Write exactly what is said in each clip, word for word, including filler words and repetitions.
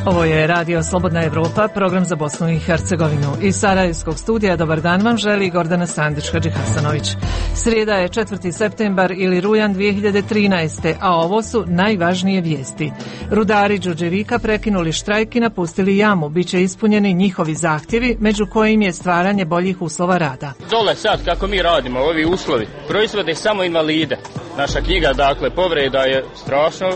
Ovo je Radio Slobodna Evropa, program za Bosnu i Hercegovinu. Iz Sarajevskog studija dobar dan vam želi Gordana Sandić-Hadži Hasanović. Srijeda je četvrti septembar ili rujan dvije hiljade trinaeste. a ovo su najvažnije vijesti. Rudari Đurđevika prekinuli štrajk i napustili jamu. Biće ispunjeni njihovi zahtjevi, među kojim je stvaranje boljih uslova rada. Dole sad kako mi radimo, ovi uslovi, proizvode samo invalide. Naša knjiga, dakle, povreda je strašno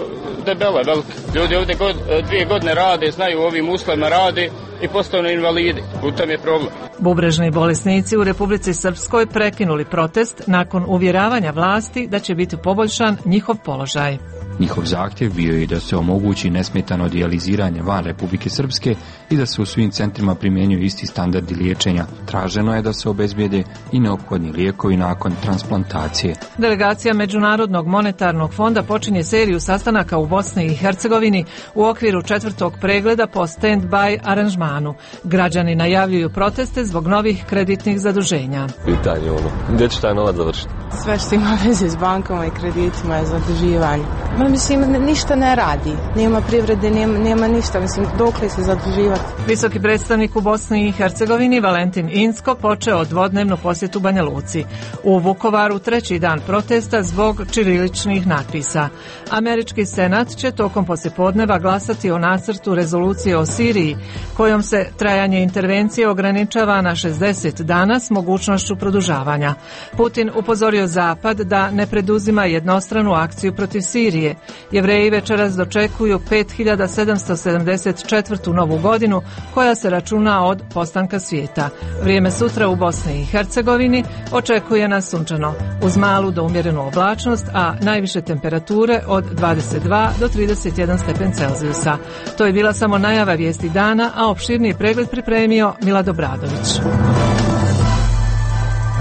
debela, velika. Ljudi ovdje god, dvije godine rade, znaju u ovim uslovima rade i postanu invalidi. U tom je problem. Bubrežni bolesnici u Republici Srpskoj prekinuli protest nakon uvjeravanja vlasti da će biti poboljšan njihov položaj. Njihov zahtjev bio je da se omogući nesmetano dijaliziranje van Republike Srpske i da se u svim centrima primjenjuju isti standardi liječenja. Traženo je da se obezbijede i neophodni lijekovi nakon transplantacije. Delegacija Međunarodnog monetarnog fonda počinje seriju sastanaka u Bosni i Hercegovini u okviru četvrtog pregleda po stand-by aranžmanu. Građani najavljuju proteste zbog novih kreditnih zaduženja. Pitanje ono, gdje će taj novac završiti? Sve što ima veze s bankama i kreditima je zaduživanje. Ma, mislim, ništa ne radi. Nema privrede, nema, nema ništa. Mislim, dokle se zaduživati. Visoki predstavnik u Bosni i Hercegovini Valentin Inzko počeo dvodnevnu posjetu Banja Luci. U Vukovaru treći dan protesta zbog ćiriličnih natpisa. Američki senat će tokom poslijepodneva glasati o nacrtu rezolucije o Siriji, kojom se trajanje intervencije ograničava na šezdeset dana s mogućnošću produžavanja. Putin upozorio Zapad da ne preduzima jednostranu akciju protiv Sirije. Jevreji večeras dočekuju pet hiljada sedamsto sedamdeset četvrtu novu godinu koja se računa od postanka svijeta. Vrijeme sutra u Bosni i Hercegovini očekuje nas sunčano uz malu do umjerenu oblačnost, a najviše temperature od dvadeset dva do trideset jedan stepen Celzijusa. To je bila samo najava vijesti dana, a opširniji pregled pripremio Milad Obradović.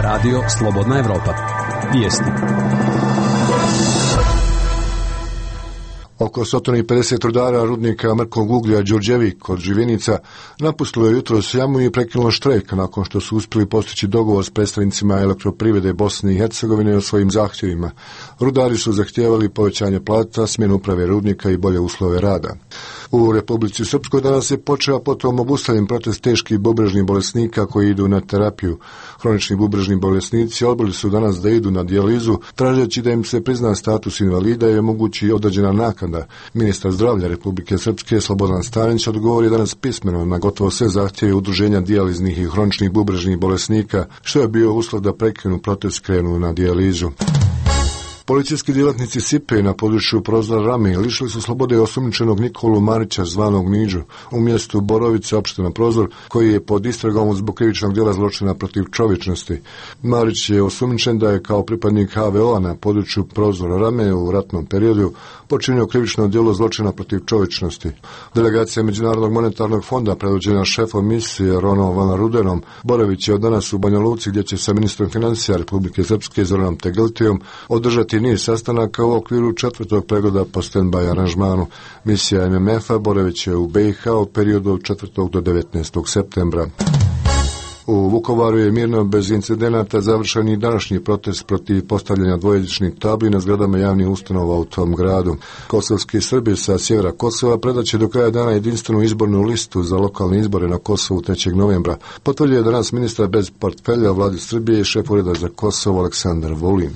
Radio Slobodna Evropa. Vijesti. Oko sto pedeset rudara rudnika mrkog uglja Đurđevik kod Živinica napustilo je jutros jamu i prekinulo štrajk nakon što su uspjeli postići dogovor s predstavnicima elektroprivrede Bosne i Hercegovine o svojim zahtjevima. Rudari su zahtijevali povećanje plata, smjenu uprave rudnika i bolje uslove rada. U Republici Srpskoj danas je počeo potom obustavljen protest teških bubrežnih bolesnika koji idu na terapiju. Hronični bubrežni bolesnici odbili su danas da idu na dijalizu, tražeći da im se prizna status invalida i omogući određena naknada. Ministar zdravlja Republike Srpske Slobodan Stanić odgovori danas pismeno na gotovo sve zahtjeve udruženja dijaliznih i hroničnih bubrežnih bolesnika, što je bio uslov da prekinu protest, krenu na dijalizu. Policijski djelatnici Sipe na području Prozora Rame lišili su slobode osumnjičenog Nikolu Marića zvanog Niđu u mjestu Borovice, opština Prozor, koji je pod istragom zbog krivičnog djela zločina protiv čovječnosti. Marić je osumnjičen da je kao pripadnik H V O-a na području Prozora Rame u ratnom periodu počinio krivično djelo zločina protiv čovječnosti. Delegacija Međunarodnog monetarnog fonda predvođena šefom misije Ronom Van Rudenom Borović je od danas u Banja Luci, gdje će sa ministrom financija Republike Srpske Zoranom Tegeltijom održati niz sastanaka u okviru četvrtog pregleda po stand-by aranžmanu. Misija M M F-a Borović je u B i H u periodu od četvrtog do devetnaestog septembra. U Vukovaru je mirno bez incidenata završen i današnji protest protiv postavljanja dvojezičnih tabli na zgradama javnih ustanova u tom gradu. Kosovski Srbi sa sjevera Kosova predaće do kraja dana jedinstvenu izbornu listu za lokalne izbore na Kosovu trećeg novembra. Potvrdio je danas ministar bez portfelja vlade Srbije i šef ureda za Kosovo Aleksandar Vulin.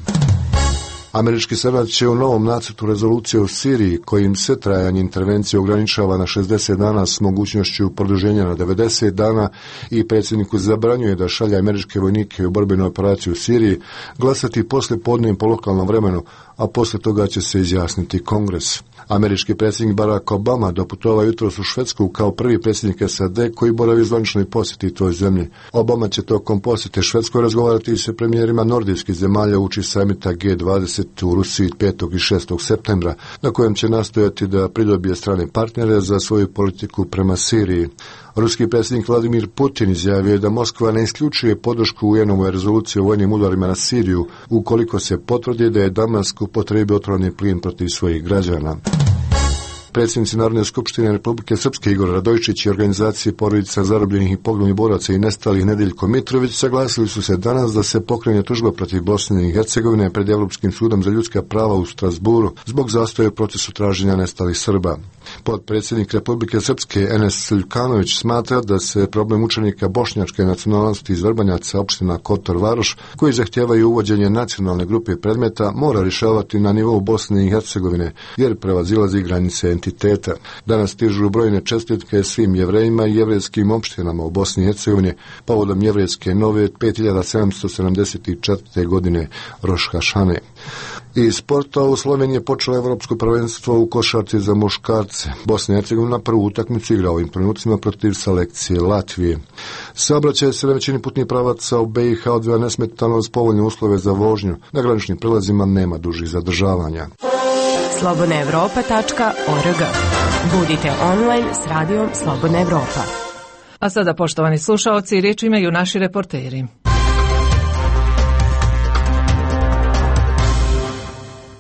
Američki senat će u novom nacrtu rezolucije u Siriji, kojim se trajanje intervencije ograničava na šezdeset dana s mogućnošću produženja na devedeset dana i predsjedniku zabranjuje da šalje američke vojnike u borbenu operaciju u Siriji, glasati poslije podne po lokalnom vremenu, a poslije toga će se izjasniti Kongres. Američki predsjednik Barack Obama doputovao jutros u Švedsku kao prvi predsjednik S A D koji boravi u zvaničnoj posjeti toj zemlji. Obama će tokom posjete Švedskoj razgovarati sa premijerima nordijskih zemalja uoči samita G dvadeset u Rusiji petog i šestog septembra, na kojem će nastojati da pridobije strane partnere za svoju politiku prema Siriji. Ruski predsjednik Vladimir Putin izjavio je da Moskva ne isključuje podršku U N-ovoj rezoluciji o vojnim udarima na Siriju ukoliko se potvrdi da je Damask upotrijebio otrovni plin protiv svojih građana. Predsjednici Narodne skupštine Republike Srpske Igor Radojičić i organizacije porodica zarobljenih i poginulih boraca i nestalih Nedeljko Mitrović saglasili su se danas da se pokrene tužba protiv Bosne i Hercegovine pred Evropskim sudom za ljudska prava u Strasburu zbog zastoja u procesu traženja nestalih Srba. Potpredsjednik Republike Srpske Enes Ljukanović smatra da se problem učenika bošnjačke nacionalnosti iz Vrbanjaca opština Kotor Varoš, koji zahtijevaju uvođenje nacionalne grupe predmeta, mora rješavati na nivou Bosne i Hercegovine, jer prevazilazi granice entiteta. Danas stižu brojne čestitke svim Jevrejima i jevrejskim opštinama u Bosni i Hercegovini povodom jevrejske nove pet hiljada sedamsto sedamdeset četvrte godine Roš Hašane. Iz sporta u Sloveniji je počelo evropsko prvenstvo u košarci za muškarce. Bosna i Hercegovina prvu utakmicu igra ovim trenucima protiv selekcije Latvije. Saobraćaj se na većini putnih pravaca u be i ha odvija nesmetano uz povoljne uslove za vožnju. Na graničnim prelazima nema dužih zadržavanja. slobodna evropa tačka org. Budite online s radijom Slobodna Evropa. A sada, poštovani slušaoci, riječ imaju naši reporteri.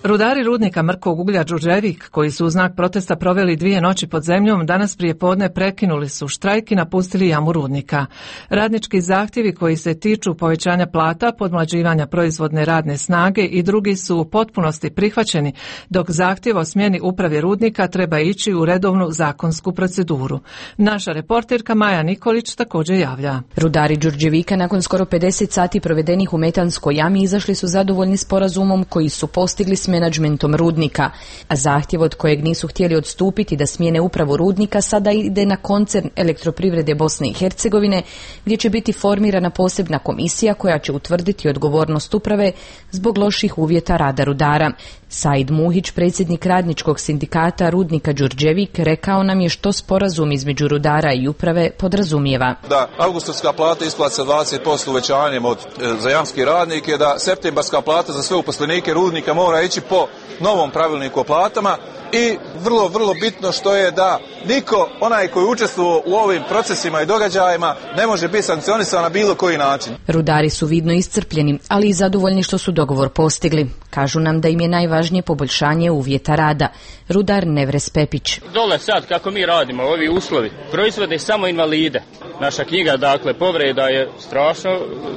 Rudari rudnika mrkog uglja Đurđevik, koji su u znak protesta proveli dvije noći pod zemljom, danas prije podne prekinuli su štrajk i napustili jamu rudnika. Radnički zahtjevi koji se tiču povećanja plata, podmlađivanja proizvodne radne snage i drugi su u potpunosti prihvaćeni, dok zahtjev o smjeni uprave rudnika treba ići u redovnu zakonsku proceduru. Naša reporterka Maja Nikolić također javlja. Rudari Đurđevika nakon skoro pedeset sati provedenih u metanskoj jami izašli su zadovoljni sporazumom koji su postigli s menadžmentom rudnika, a zahtjev od kojeg nisu htjeli odstupiti da smijene upravu rudnika sada ide na koncern Elektroprivrede Bosne i Hercegovine, gdje će biti formirana posebna komisija koja će utvrditi odgovornost uprave zbog loših uvjeta rada rudara. Said Muhić, predsjednik radničkog sindikata rudnika Đurđevik, rekao nam je što sporazum između rudara i uprave podrazumijeva. Da avgustovska plata isplati sa dvadeset posto uvećanjem od za jamski radnike, da septembarska plata za sve uposlenike rudnika mora ići po novom pravilniku o platama i vrlo, vrlo bitno što je da niko, onaj koji učestvuje u ovim procesima i događajima, ne može biti sankcionisan na bilo koji način. Rudari su vidno iscrpljeni, ali i zadovoljni što su dogovor postigli. Kažu nam da im je najvažnije poboljšanje uvjeta rada. Rudar Nevres Pepić. Dole sad, kako mi radimo, ovi uslovi, proizvode samo invalide. Naša knjiga, dakle, povreda je strašno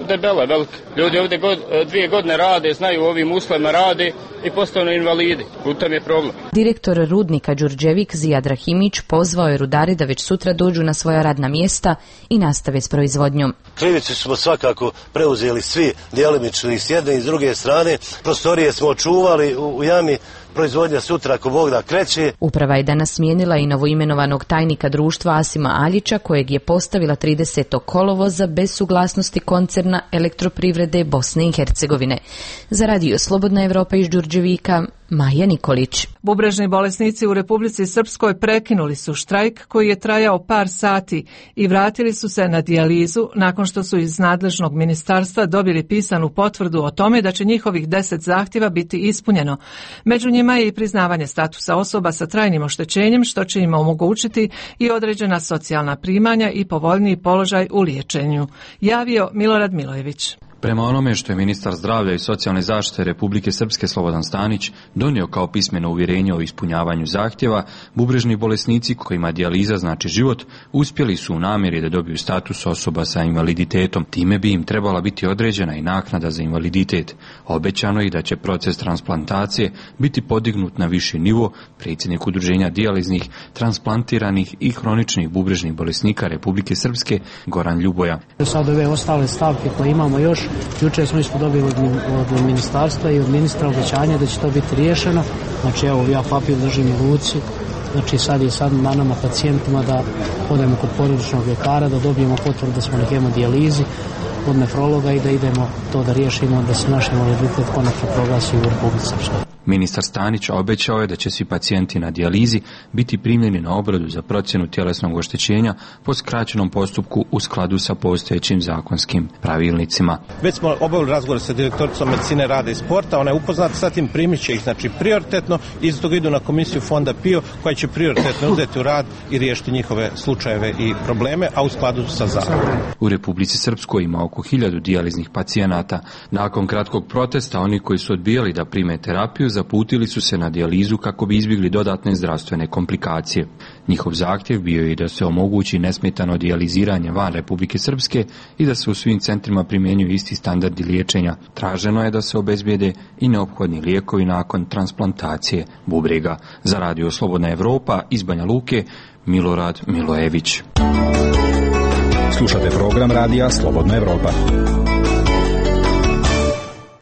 debela, velika. Ljudi ovdje god, dvije godine rade, znaju u ovim uslovima rade i postanu invalidi. U tom je problem. Direktor rudnika Đurđevik Zijad Rahimić pozvao je rudari da već sutra dođu na svoja radna mjesta i nastave s proizvodnjom. Krivicu smo svakako preuzeli svi djelimično i s jedne i s druge strane. Prostorije smo očuvali u, u jami. Proizvodnja sutra ako Bog da kreće. Uprava je danas smijenila i novoimenovanog tajnika društva Asima Aljića, kojeg je postavila tridesetog kolovoza bez suglasnosti koncerna Elektroprivrede Bosne i Hercegovine. Za radio Slobodna Evropa iz Đurđevika, Maja Nikolić. Bubrežni bolesnici u Republici Srpskoj prekinuli su štrajk koji je trajao par sati i vratili su se na dijalizu nakon što su iz nadležnog ministarstva dobili pisanu potvrdu o tome da će njihovih deset zahtjeva biti ispunjeno. Među njima je i priznavanje statusa osoba sa trajnim oštećenjem, što će im omogućiti i određena socijalna primanja i povoljniji položaj u liječenju. Javio Milorad Milojević. Prema onome što je ministar zdravlja i socijalne zaštite Republike Srpske Slobodan Stanić donio kao pismeno uvjerenje o ispunjavanju zahtjeva, bubrežni bolesnici kojima dijaliza znači život uspjeli su u namjeri da dobiju status osoba sa invaliditetom. Time bi im trebala biti određena i naknada za invaliditet. Obećano je da će proces transplantacije biti podignut na viši nivo. Predsjednik udruženja dijaliznih, transplantiranih i hroničnih bubrežnih bolesnika Republike Srpske Goran Ljuboja. Sad ove ostale stavke koje imamo još, jučer smo isto dobili od, od ministarstva i od ministra obećanja da će to biti riješeno. Znači evo ja papir držim u ruci. Znači sad je sad na nama pacijentima da odemo kod porodičnog ljekara, da dobijemo potvrdu da smo na hemodijalizi od nefrologa i da idemo to da riješimo, da se naš invaliditet konačno proglasi u Republici Srpskoj. Ministar Stanić obećao je da će svi pacijenti na dijalizi biti primljeni na obradu za procjenu tjelesnog oštećenja po skraćenom postupku u skladu sa postojećim zakonskim pravilnicima. Već smo obavili razgovor sa direktoricom medicine rada i sporta, ona je upoznata sa tim, primit će ih znači prioritetno i iz toga idu na komisiju fonda P I O koja će prioritetno uzeti u rad i riješiti njihove slučajeve i probleme, a u skladu sa zakonom. U Republici Srpskoj ima oko hiljadu dijaliznih pacijenata. Nakon kratkog protesta, oni koji su odbijali da prime terapiju zaputili su se na dijalizu kako bi izbjegli dodatne zdravstvene komplikacije. Njihov zahtjev bio je da se omogući nesmetano dijaliziranje van Republike Srpske i da se u svim centrima primjenjuju isti standardi liječenja. Traženo je da se obezbijede i neophodni lijekovi nakon transplantacije bubrega. Za Radio Slobodna Evropa iz Banja Luke, Milorad Milojević. Slušate program Radija Slobodna Evropa.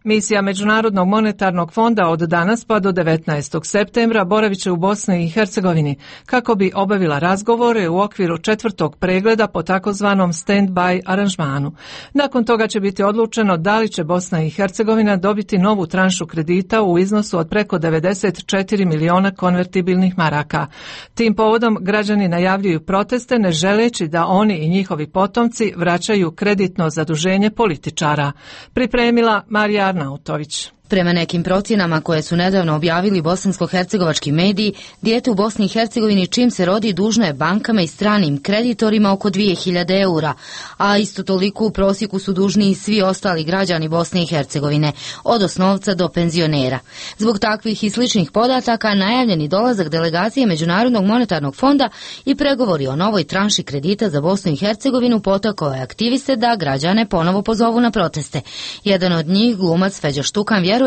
Misija Međunarodnog monetarnog fonda od danas pa do devetnaestog septembra boravit će u Bosni i Hercegovini kako bi obavila razgovore u okviru četvrtog pregleda po takozvanom stand-by aranžmanu. Nakon toga će biti odlučeno da li će Bosna i Hercegovina dobiti novu tranšu kredita u iznosu od preko devedeset četiri miliona konvertibilnih maraka. Tim povodom građani najavljuju proteste ne želeći da oni i njihovi potomci vraćaju kreditno zaduženje političara. Pripremila Marija Arnautović. Prema nekim procjenama koje su nedavno objavili bosansko-hercegovački mediji, dijete u Bosni i Hercegovini čim se rodi dužno je bankama i stranim kreditorima oko dvije hiljade eura, a isto toliko u prosjeku su dužni i svi ostali građani Bosne i Hercegovine, od osnovca do penzionera. Zbog takvih i sličnih podataka najavljeni dolazak delegacije Međunarodnog monetarnog fonda i pregovori o novoj tranši kredita za Bosnu i Hercegovinu potakao je aktiviste da građane ponovo pozovu na proteste. Jedan od njih, glumac Feđa Štukan, vjeruje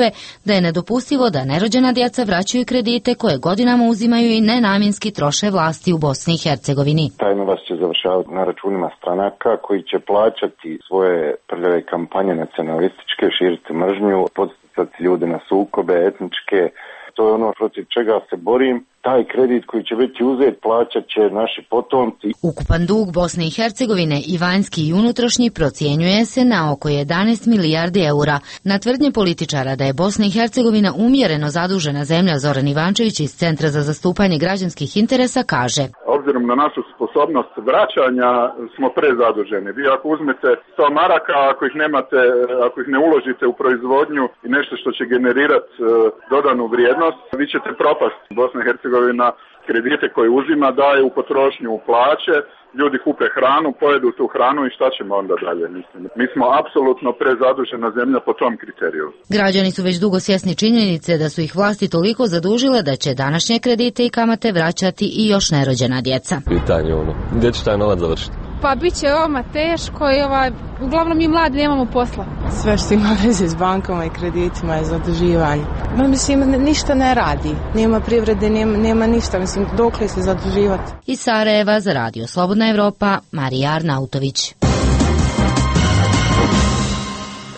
da je nedopustivo da nerođena djeca vraćaju kredite koje godinama uzimaju i nenamjenski troše vlasti u Bosni i Hercegovini. Taj novac će završavati na računima stranaka koji će plaćati svoje prljave kampanje nacionalističke, širiti mržnju, podsticati ljude na sukobe etničke. To je ono protiv čega se borim. Taj kredit koji će biti uzet plaćat će naši potomci. Ukupan dug Bosne i Hercegovine i vanjski i unutrašnji procjenjuje se na oko jedanaest milijardi eura. Na tvrdnje političara da je Bosna i Hercegovina umjereno zadužena zemlja, Zoran Ivančević iz Centra za zastupanje građanskih interesa kaže: Obzirom na našu sposobnost vraćanja smo prezaduženi. Vi ako uzmete sto maraka, ako ih nemate, ako ih ne uložite u proizvodnju i nešto što će generirati uh, dodanu vrijednost, vi ćete propasti. Bosna i Hercegovina kredite koje uzima daje u potrošnju u plaće, ljudi kupe hranu, pojedu tu hranu i šta ćemo onda dalje? Mislim. Mi smo apsolutno prezadužena zemlja po tom kriteriju. Građani su već dugo svjesni činjenice da su ih vlasti toliko zadužile da će današnje kredite i kamate vraćati i još nerođena djeca. Pitanje ono, gdje će taj novac završiti? Pa bit će ovama teško i ovaj, uglavnom mi mladi nemamo posla. Sve što ima veze s bankama i kreditima je zaduživanje. Ma mislim, ništa ne radi. Nema privrede, nema, nema ništa. Mislim, dokle se zaduživati. Iz Sarajeva za Radio Slobodna Evropa, Marija Arnautović.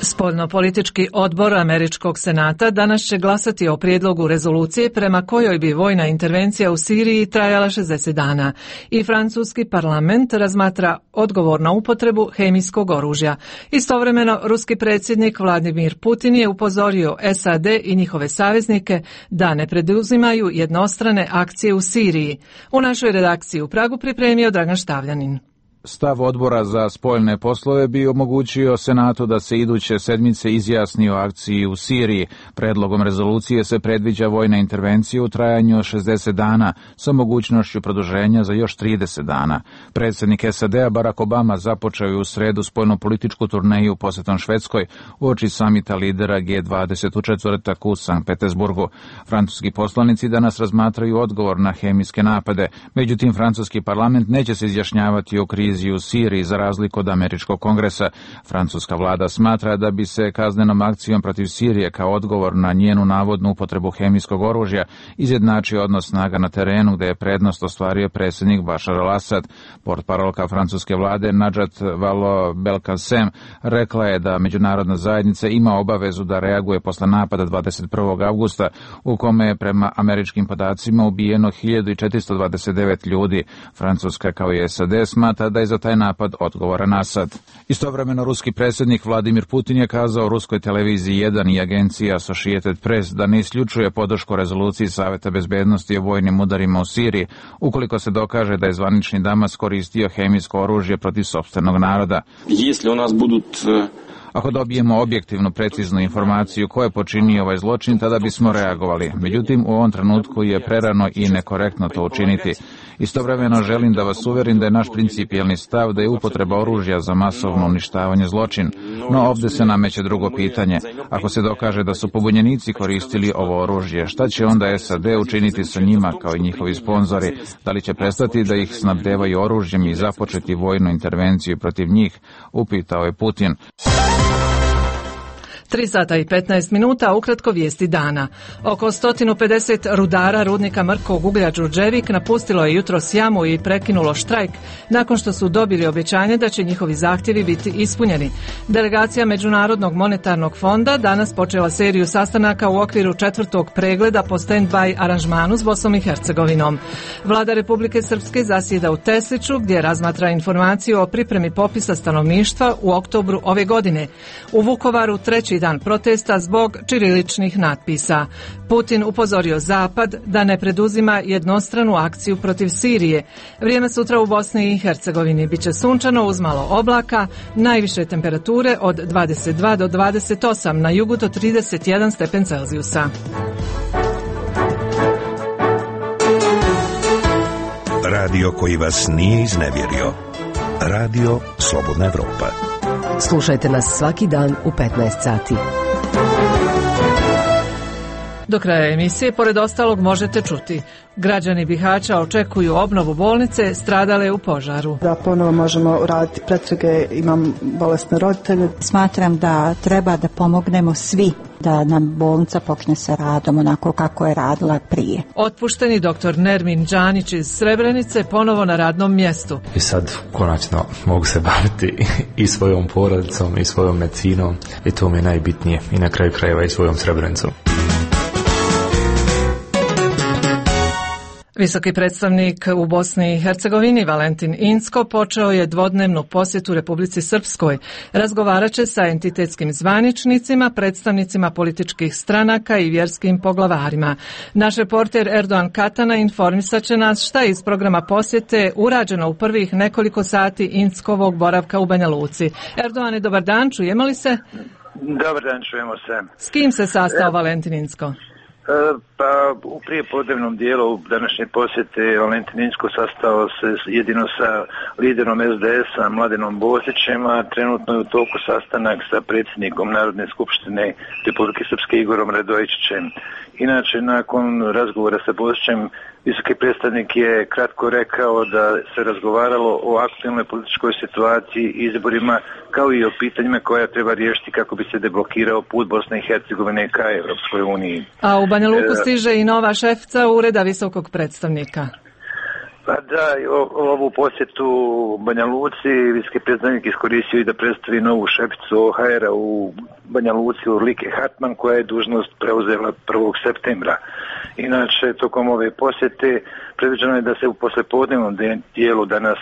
Spoljnopolitički odbor Američkog senata danas će glasati o prijedlogu rezolucije prema kojoj bi vojna intervencija u Siriji trajala šezdeset dana i francuski parlament razmatra odgovor na upotrebu hemijskog oružja. Istovremeno, ruski predsjednik Vladimir Putin je upozorio S A D i njihove saveznike da ne preduzimaju jednostrane akcije u Siriji. U našoj redakciji u Pragu pripremio Dragan Štavljanin. Stav odbora za spoljne poslove bi omogućio Senatu da se iduće sedmice izjasni o akciji u Siriji. Predlogom rezolucije se predviđa vojna intervencija u trajanju od šezdeset dana sa mogućnošću produženja za još trideset dana. Predsjednik S A D-a Barack Obama započeo je u sredu spoljnopolitičku turneju posjetom Švedskoj uoči samita lidera G dvadeset u četvrtak u Sankt Petersburgu. Francuski poslanici danas razmatraju odgovor na hemijske napade, međutim francuski parlament neće se izjašnjavati o krizi u Siriji za razliku od američkog kongresa. Francuska vlada smatra da bi se kaznenom akcijom protiv Sirije kao odgovor na njenu navodnu upotrebu hemijskog oružja izjednačio odnos snaga na terenu gdje je prednost ostvario predsjednik Bašar al-Asad. Portparolka francuske vlade Najat Vallaud-Belkacem rekla je da međunarodna zajednica ima obavezu da reaguje posle napada dvadeset prvog avgusta u kome je prema američkim podacima ubijeno hiljadu četiristo dvadeset devet ljudi. Francuska kao i S A D smatra da je za taj napad odgovoran Asad. Istovremeno ruski predsjednik Vladimir Putin je kazao ruskoj televiziji jedan i agenciji Associated Press da ne isključuje podršku rezoluciji Saveta bezbednosti o vojnim udarima u Siriji ukoliko se dokaže da je zvanični Damas koristio hemijsko oružje protiv sopstvenog naroda. Если у нас будут Ako dobijemo objektivnu, preciznu informaciju ko je počinio ovaj zločin, tada bismo reagovali. Međutim, u ovom trenutku je prerano i nekorektno to učiniti. Istovremeno želim da vas uverim da je naš principijelni stav da je upotreba oružja za masovno uništavanje zločin. No ovdje se nameće drugo pitanje. Ako se dokaže da su pobunjenici koristili ovo oružje, šta će onda S A D učiniti sa njima kao i njihovi sponzori? Da li će prestati da ih snabdevaju oružjem i započeti vojnu intervenciju protiv njih? Upitao je Putin. tri sata i petnaest minuta, ukratko vijesti dana. Oko sto pedeset rudara rudnika mrkog uglja Đurđevik napustilo je jutros jamu i prekinulo štrajk nakon što su dobili obećanje da će njihovi zahtjevi biti ispunjeni. Delegacija Međunarodnog monetarnog fonda danas počela seriju sastanaka u okviru četvrtog pregleda po stand-by aranžmanu s Bosnom i Hercegovinom. Vlada Republike Srpske zasjeda u Tesliću gdje razmatra informaciju o pripremi popisa stanovništva u oktobru ove godine. U Vukovaru treći dan protesta zbog ćiriličnih natpisa. Putin upozorio Zapad da ne preduzima jednostranu akciju protiv Sirije. Vrijeme sutra u Bosni i Hercegovini biće sunčano uz malo oblaka, najviše temperature od dvadeset dva do dvadeset osam, na jugu do trideset jedan stepen Celzijusa. Radio koji vas nije iznevjerio. Radio Slobodna Evropa. Slušajte nas svaki dan u petnaest sati. Do kraja emisije, pored ostalog, možete čuti. Građani Bihaća očekuju obnovu bolnice stradale u požaru. Da ponovo možemo raditi pretrage, imam bolesne roditelje. Smatram da treba da pomognemo svi da nam bolnica počne sa radom onako kako je radila prije. Otpušteni doktor Nermin Đanić iz Srebrenice ponovo na radnom mjestu. I sad konačno mogu se baviti i svojom porodicom i svojom medicinom i to mi je najbitnije i na kraju krajeva i svojom Srebrenicom. Visoki predstavnik u Bosni i Hercegovini Valentin Incko počeo je dvodnevnu posjetu Republici Srpskoj. Razgovarat će sa entitetskim zvaničnicima, predstavnicima političkih stranaka i vjerskim poglavarima. Naš reporter Erdoğan Katana informisat će nas šta je iz programa posjete urađeno u prvih nekoliko sati Inckovog boravka u Banja Luci. Erdoğane, dobar dan, čujemo li se? Dobar dan, čujemo se. S kim se sastao e... Valentin Incko? Pa u prijepodnevnom dijelu današnje posjete Valentin Incko sastao se jedino sa liderom S D S-a Mladenom Bozićem, a trenutno je u toku sastanak sa predsjednikom Narodne skupštine Republike Srpske Igorom Radojičićem. Inače, nakon razgovora sa Bozićem, visoki predstavnik je kratko rekao da se razgovaralo o aktualnoj političkoj situaciji i izborima, kao i o pitanjima koja treba riješiti kako bi se deblokirao put Bosne i Hercegovine ka Evropskoj uniji. A u Banja Luku stiže i nova šefica ureda visokog predstavnika. Pa da, ovu posjetu Banja Luci visoki predstavnik iskoristio i da predstavi novu šeficu O H R-a u Banja Luci, Urlike Hartman, koja je dužnost preuzela prvog septembra. Inače, tokom ove posjete predviđeno je da se u poslepodnevnom dijelu danas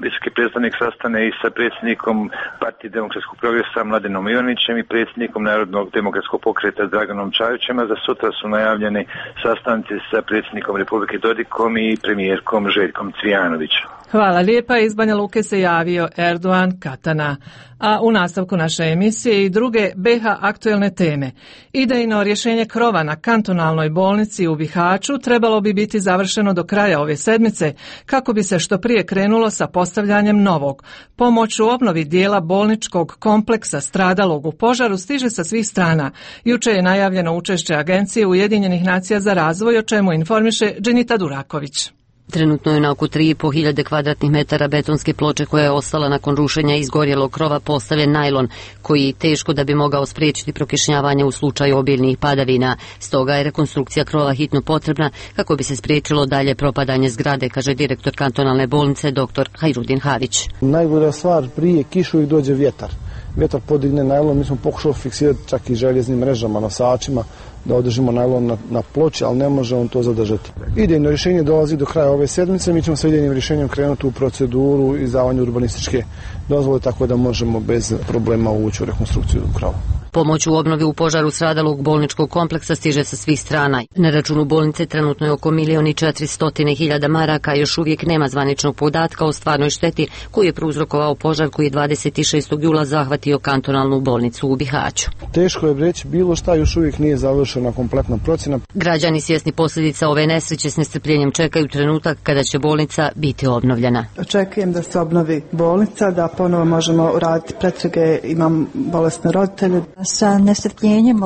visoki predstavnik sastane i sa predsjednikom Partije demokratskog progresa Mladenom Ivanićem i predsjednikom Narodnog demokratskog pokreta Draganom Čajićem, a za sutra su najavljeni sastanci sa predsjednikom Republike Dodikom i premijerkom Željkom Cvijanovićem. Hvala lijepa, iz Banja Luke se javio Erdoğan Katana. A u nastavku naše emisije i druge B iH aktuelne teme. Idejno rješenje krova na kantonalnoj bolnici u Bihaću trebalo bi biti završeno do kraja ove sedmice kako bi se što prije krenulo sa postavljanjem novog. Pomoć u obnovi dijela bolničkog kompleksa stradalog u požaru stiže sa svih strana. Juče je najavljeno učešće Agencije Ujedinjenih nacija za razvoj, o čemu informiše Dženita Duraković. Trenutno je na oko tri i po hiljade kvadratnih metara betonske ploče koja je ostala nakon rušenja izgorjelog krova postavljen najlon, koji teško da bi mogao spriječiti prokišnjavanje u slučaju obilnih padavina. Stoga je rekonstrukcija krova hitno potrebna kako bi se spriječilo dalje propadanje zgrade, kaže direktor kantonalne bolnice dr. Hajrudin Havić. Najbolja stvar prije kišu i dođe vjetar. Vjetar podigne najlon, mi smo pokušali fiksirati čak i željeznim mrežama, nosačima, da održimo najlon na, na ploči, ali ne može on to zadržati. Idejno rješenje dolazi do kraja ove sedmice, mi ćemo sa idejnim rješenjem krenuti u proceduru izdavanja urbanističke dozvole, tako da možemo bez problema ući u rekonstrukciju krova. Pomoć u obnovi u požaru stradalog bolničkog kompleksa stiže sa svih strana. Na računu bolnice trenutno je oko milion i četiristotine hiljada maraka, još uvijek nema zvaničnog podatka o stvarnoj šteti koju je prouzrokovao požar koji je dvadeset šestog jula zahvatio kantonalnu bolnicu u Bihaću. Teško je reći bilo šta, još uvijek nije završena kompletna procjena. Građani svjesni posljedica ove nesreće s nestrpljenjem čekaju trenutak kada će bolnica biti obnovljena. Očekujem da se obnovi bolnica, da ponovo možemo raditi pretrage, imam bolesne roditelje. Sa nestrpljenjem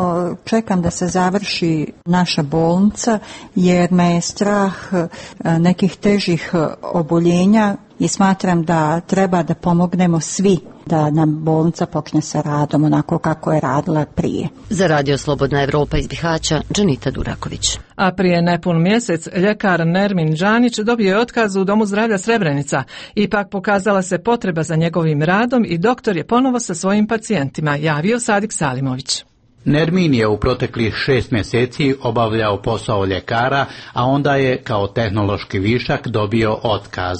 čekam da se završi naša bolnica jer me je strah nekih težih oboljenja i smatram da treba da pomognemo svi da nam bolnica počne sa radom onako kako je radila prije. Za Radio Slobodna Evropa iz Bihaća, Džanita Duraković. A prije nepun mjesec ljekar Nermin Džanić dobio je otkaz u Domu zdravlja Srebrenica. Ipak pokazala se potreba za njegovim radom i doktor je ponovo sa svojim pacijentima, javio Sadik Salimović. Nermin je u proteklih šest mjeseci obavljao posao ljekara, a onda je kao tehnološki višak dobio otkaz.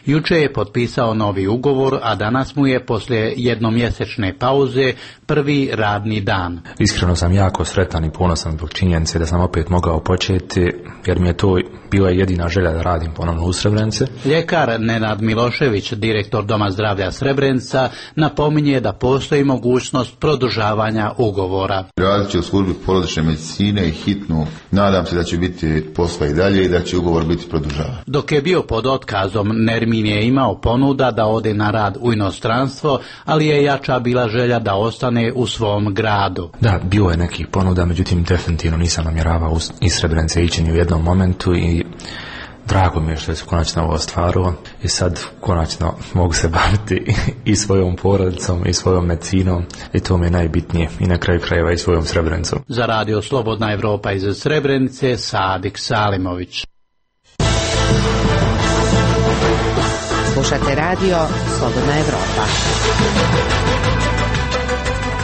Juče je potpisao novi ugovor, a danas mu je poslije jednomjesečne pauze prvi radni dan. Iskreno sam jako sretan i ponosan zbog činjenice da sam opet mogao početi, jer mi je to bila jedina želja da radim ponovno u Srebrenici. Ljekar Nenad Milošević, direktor Doma zdravlja Srebrenica, napominje da postoji mogućnost produžavanja ugovora. Radit će u službi porodične medicine i hitnu. Nadam se da će biti posla i dalje i da će ugovor biti produžavan. Dok je bio pod otkazom, Nermin je imao ponuda da ode na rad u inostranstvo, ali je jača bila želja da ostane u svom gradu. Da, bilo je nekih ponuda, međutim definitivno nisam namjeravao iz Srebrenice ići ni u jednom momentu i drago mi je što se konačno ovo ostvarilo i sad konačno mogu se baviti i svojom porodicom i svojom medicinom i to mi je najbitnije i na kraju krajeva i svojom Srebrenicom. Za Radio Slobodna Evropa iz Srebrenice, Sadik Salimović. Slušate Radio Slobodna Evropa.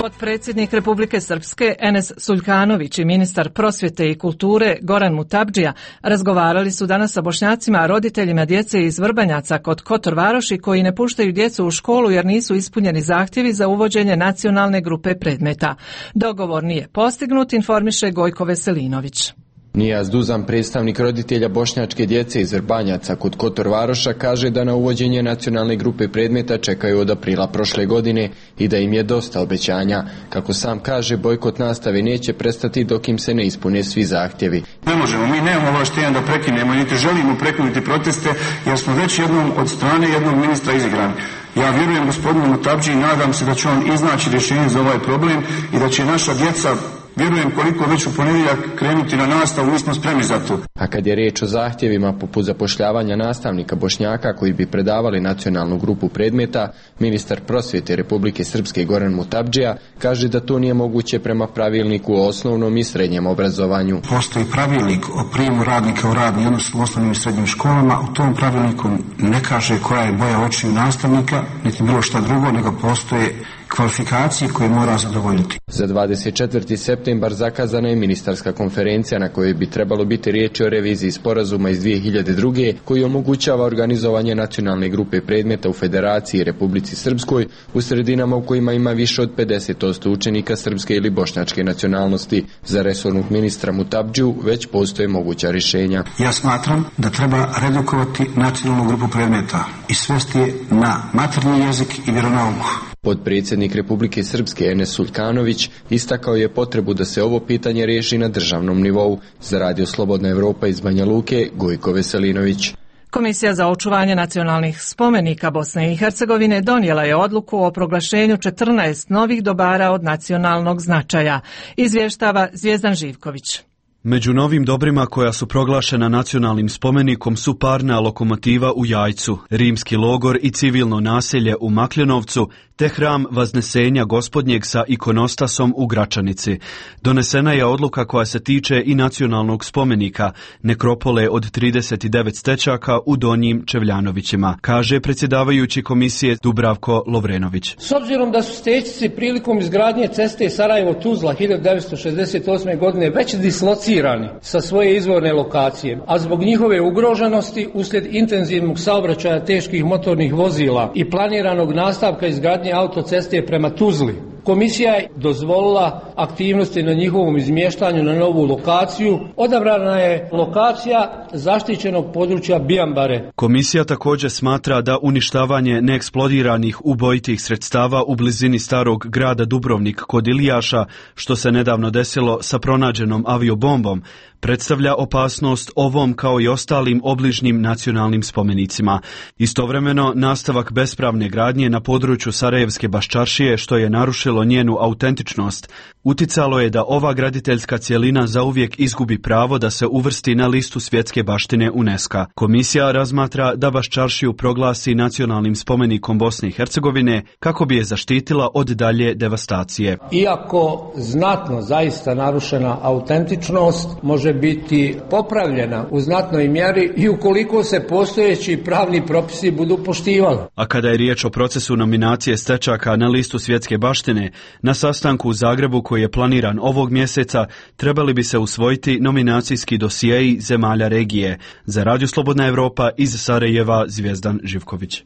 Potpredsjednik Republike Srpske Enes Suljkanović i ministar prosvjete i kulture Goran Mutabdžija razgovarali su danas sa Bošnjacima, roditeljima djece iz Vrbanjaca kod Kotor Varoši koji ne puštaju djecu u školu jer nisu ispunjeni zahtjevi za uvođenje nacionalne grupe predmeta. Dogovor nije postignut, informiše Gojko Veselinović. Nijaz Duzan, predstavnik roditelja bošnjačke djece iz Vrbanjaca kod Kotor Varoša, kaže da na uvođenje nacionalne grupe predmeta čekaju od aprila prošle godine i da im je dosta obećanja. Kako sam kaže, bojkot nastave neće prestati dok im se ne ispune svi zahtjevi. Ne možemo, mi nemamo ovlaštenja da prekinemo, niti želimo prekinuti proteste, jer smo već jednom od strane jednog ministra izigrani. Ja vjerujem gospodinu Mutabdži i nadam se da će on iznaći rješenje za ovaj problem i da će naša djeca, vjerujem koliko već u ponedjeljak, krenuti na nastavu, mi smo spremni za to. A kad je riječ o zahtjevima poput zapošljavanja nastavnika Bošnjaka koji bi predavali nacionalnu grupu predmeta, ministar prosvjete Republike Srpske Goran Mutabdžija kaže da to nije moguće prema pravilniku o osnovnom i srednjem obrazovanju. Postoji pravilnik o prijemu radnika u radni odnos u osnovnim i srednjim školama. U tom pravilniku ne kaže koja je boja očiju nastavnika, niti bilo šta drugo, nego postoje kvalifikacije koje mora zadovoljiti. Za dvadeset četvrti septembar zakazana je ministarska konferencija na kojoj bi trebalo biti riječi o reviziji sporazuma iz dvije hiljade druge koji omogućava organizovanje nacionalne grupe predmeta u Federaciji i Republici Srpskoj u sredinama u kojima ima više od pedeset posto učenika srpske ili bošnjačke nacionalnosti. Za resornog ministra Mutabdžiju već postoje moguća rješenja. Ja smatram da treba redukovati nacionalnu grupu predmeta i svesti je na maternji jezik i vjeronauku. Potpredsjednik Republike Srpske Enes Suljkanović istakao je potrebu da se ovo pitanje riješi na državnom nivou. Za Radio Slobodna Evropa iz Banja Luke, Gojko Veselinović. Komisija za očuvanje nacionalnih spomenika Bosne i Hercegovine donijela je odluku o proglašenju četrnaest novih dobara od nacionalnog značaja, izvještava Zvijezdan Živković. Među novim dobrima koja su proglašena nacionalnim spomenikom su parna lokomotiva u Jajcu, rimski logor i civilno naselje u Makljenovcu, te hram Vaznesenja Gospodnjeg sa ikonostasom u Gračanici. Donesena je odluka koja se tiče i nacionalnog spomenika, nekropole od trideset devet stečaka u Donjim Čevljanovićima, kaže predsjedavajući komisije Dubravko Lovrenović. S obzirom da su stećci prilikom izgradnje ceste Sarajevo-Tuzla hiljadu devetsto šezdeset osme. godine već dislocirani sa svoje izvorne lokacije, a zbog njihove ugroženosti uslijed intenzivnog saobraćaja teških motornih vozila i planiranog nastavka izgradnje autoceste prema Tuzli, Komisija je dozvolila aktivnosti na njihovom izmještanju na novu lokaciju. Odabrana je lokacija zaštićenog područja Bijambare. Komisija također smatra da uništavanje neeksplodiranih ubojitih sredstava u blizini starog grada Dubrovnik kod Ilijaša, što se nedavno desilo sa pronađenom aviobombom, predstavlja opasnost ovom kao i ostalim obližnjim nacionalnim spomenicima. Istovremeno, nastavak bespravne gradnje na području Sarajevske Baščaršije, što je narušilo njenu autentičnost, uticalo je da ova graditeljska cjelina zauvijek izgubi pravo da se uvrsti na listu svjetske baštine UNESCO. Komisija razmatra da Baščaršiju proglasi nacionalnim spomenikom Bosne i Hercegovine kako bi je zaštitila od dalje devastacije. Iako znatno zaista narušena autentičnost može biti popravljena u znatnoj mjeri i ukoliko se postojeći pravni propisi budu poštivali. A kada je riječ o procesu nominacije stečaka na listu svjetske baštine, na sastanku u Zagrebu koji je planiran ovog mjeseca, trebali bi se usvojiti nominacijski dosijeji zemalja regije. Za Radio Slobodna Evropa iz Sarajeva, Zvijezdan Živković.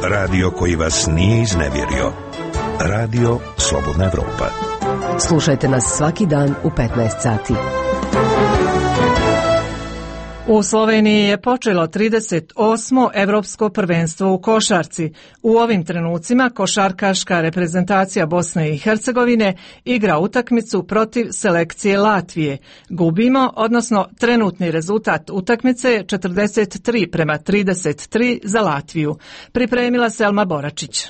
Radio koji vas nije iznevjerio. Radio Slobodna Evropa. Slušajte nas svaki dan u petnaest sati. U Sloveniji je počelo trideset osmo Evropsko prvenstvo u košarci. U ovim trenucima košarkaška reprezentacija Bosne i Hercegovine igra utakmicu protiv selekcije Latvije. Gubimo, odnosno trenutni rezultat utakmice je četrdeset tri prema trideset tri za Latviju. Pripremila Selma Boračić.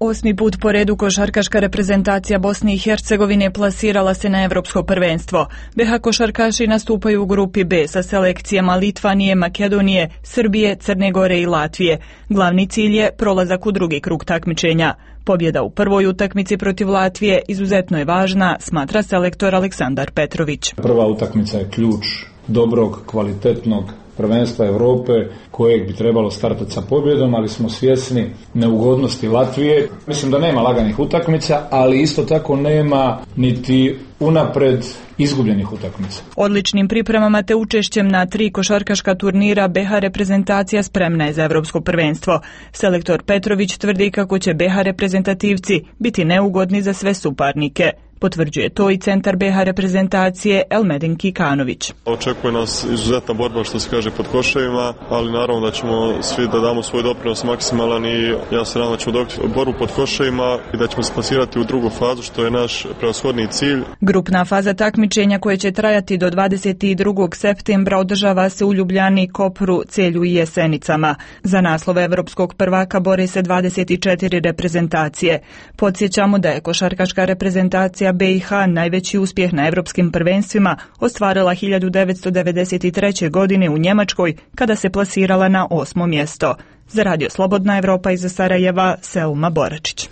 Osmi put po redu košarkaška reprezentacija Bosne i Hercegovine plasirala se na Evropsko prvenstvo. be ha košarkaši nastupaju u grupi B sa selekcijama Litvanije, Makedonije, Srbije, Crne Gore i Latvije. Glavni cilj je prolazak u drugi krug takmičenja. Pobjeda u prvoj utakmici protiv Latvije izuzetno je važna, smatra selektor Aleksandar Petrović. Prva utakmica je ključ dobrog, kvalitetnog prvenstva Europe kojeg bi trebalo startati sa pobjedom, ali smo svjesni neugodnosti Latvije. Mislim da nema laganih utakmica, ali isto tako nema niti unapred izgubljenih utakmica. Odličnim pripremama te učešćem na tri košarkaška turnira be ha reprezentacija spremna je za Evropsko prvenstvo. Selektor Petrović tvrdi kako će be ha reprezentativci biti neugodni za sve suparnike. Potvrđuje to i centar be ha reprezentacije Elmedin Kikanović. Očekuje nas izuzetna borba, što se kaže, pod koševima, ali naravno da ćemo svi da damo svoj doprinos maksimalan i ja se nadam da ćemo dobiti borbu pod koševima i da ćemo se plasirati u drugu fazu, što je naš prevashodni cilj. Grupna faza takmičenja koja će trajati do dvadeset drugog septembra održava se u Ljubljani, Kopru, Celju i Jesenicama. Za naslov evropskog prvaka bore se dvadeset četiri reprezentacije. Podsjećamo da je košarkaška reprezentacija be i ha najveći uspjeh na evropskim prvenstvima ostvarila hiljadu devetsto devedeset treće. godine u Njemačkoj kada se plasirala na osmo mjesto. Za Radio Slobodna Evropa iz Sarajeva, Selma Boračić.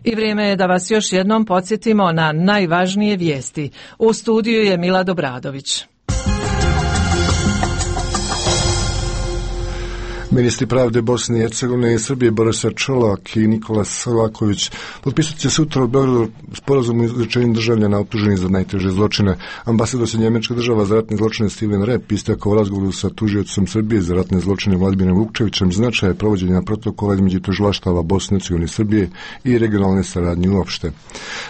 I vrijeme je da vas još jednom podsjetimo na najvažnije vijesti. U studiju je Mila Dobradović. Ministri pravde Bosne i Hercegovine i Srbije Borisa Čolak i Nikola Selaković potpisat će sutra u Beogradu sporazum o izručenju državljana optuženih za najteže zločine. Ambasador se Njemačka država za ratne zločine Steven Rep istakao u razgovoru sa tužiocom Srbije za ratne zločine Vladimirom Vukčevićem značaja provođenja protokola između tužilaštava Bosne i Hercegovine i Srbije i regionalne saradnje uopšte.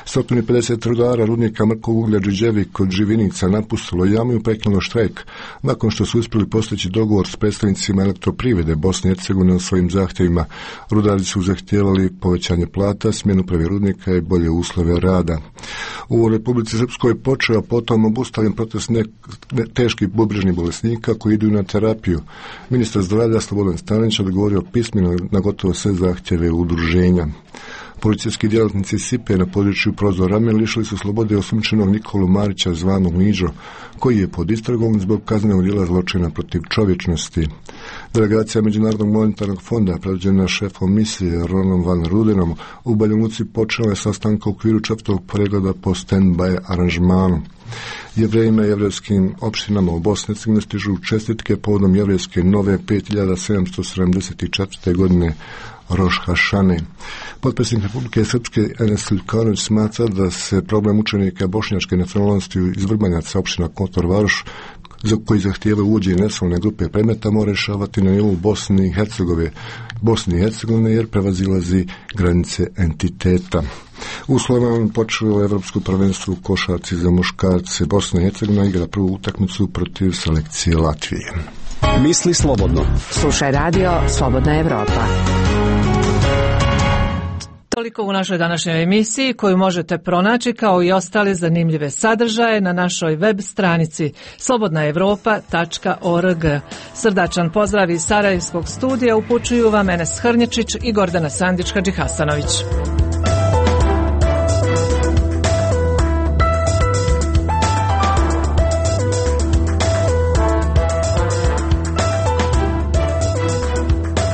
sto pedeset rudara rudnika mrkog uglja Đurđevik kod Živinica napustilo jamu i prekinulo štrajk nakon što su uspjeli postići dogovor s predstavnicima elektroprivrede Bosne i Hercegovine o svojim zahtjevima. Rudari su zahtijevali povećanje plata, smjenu uprave rudnika i bolje uslove rada. U Republici Srpskoj počeo potom obustavljen protest ne, ne, teških bubrežnih bolesnika koji idu na terapiju. Ministar zdravlja Slobodan Stanić odgovorio pismeno na gotovo sve zahtjeve udruženja. Policijski djelatnici S I P E na području Prozor Ramen lišili su slobode osumnjičenog Nikolu Marića zvanog Niđo, koji je pod istragom zbog kaznenog djela zločina protiv čovječnosti. Delegacija Međunarodnog monetarnog fonda predvođena šefom misije Ronom Van Rudenom u Banja Luci počela je sastanka u okviru četvrtog pregleda po stand-by aranžmanu. Jevrejima i jevrejskim opštinama u Bosni i Hercegovini stižu čestitke povodom jevrejske nove pet hiljada sedamsto sedamdeset četvrte. godine Roš Hašane. Potpredsjednik Republike Srpske Enes Ljukanović smatra da se problem učenika bošnjačke nacionalnosti iz Vrbanjaca opština Kotor Varoš za koji zahtijevaju uvođenje nacionalne grupe predmeta mora rješavati na nivou Bosne i Hercegovine, Bosne i Hercegovine jer prevazilazi granice entiteta. U Slovenu počelo evropsko prvenstvo u košarci za muškarce. Bosna i Hercegovina igra prvu utakmicu protiv selekcije Latvije. Misli slobodno. Slušaj radio Slobodna Evropa. Toliko u našoj današnjoj emisiji koju možete pronaći kao i ostale zanimljive sadržaje na našoj web stranici slobodna evropa tačka org. Srdačan pozdrav iz Sarajevskog studija upućuju vam Enes Hrnječić i Gordana Sandić-Hadžihasanović.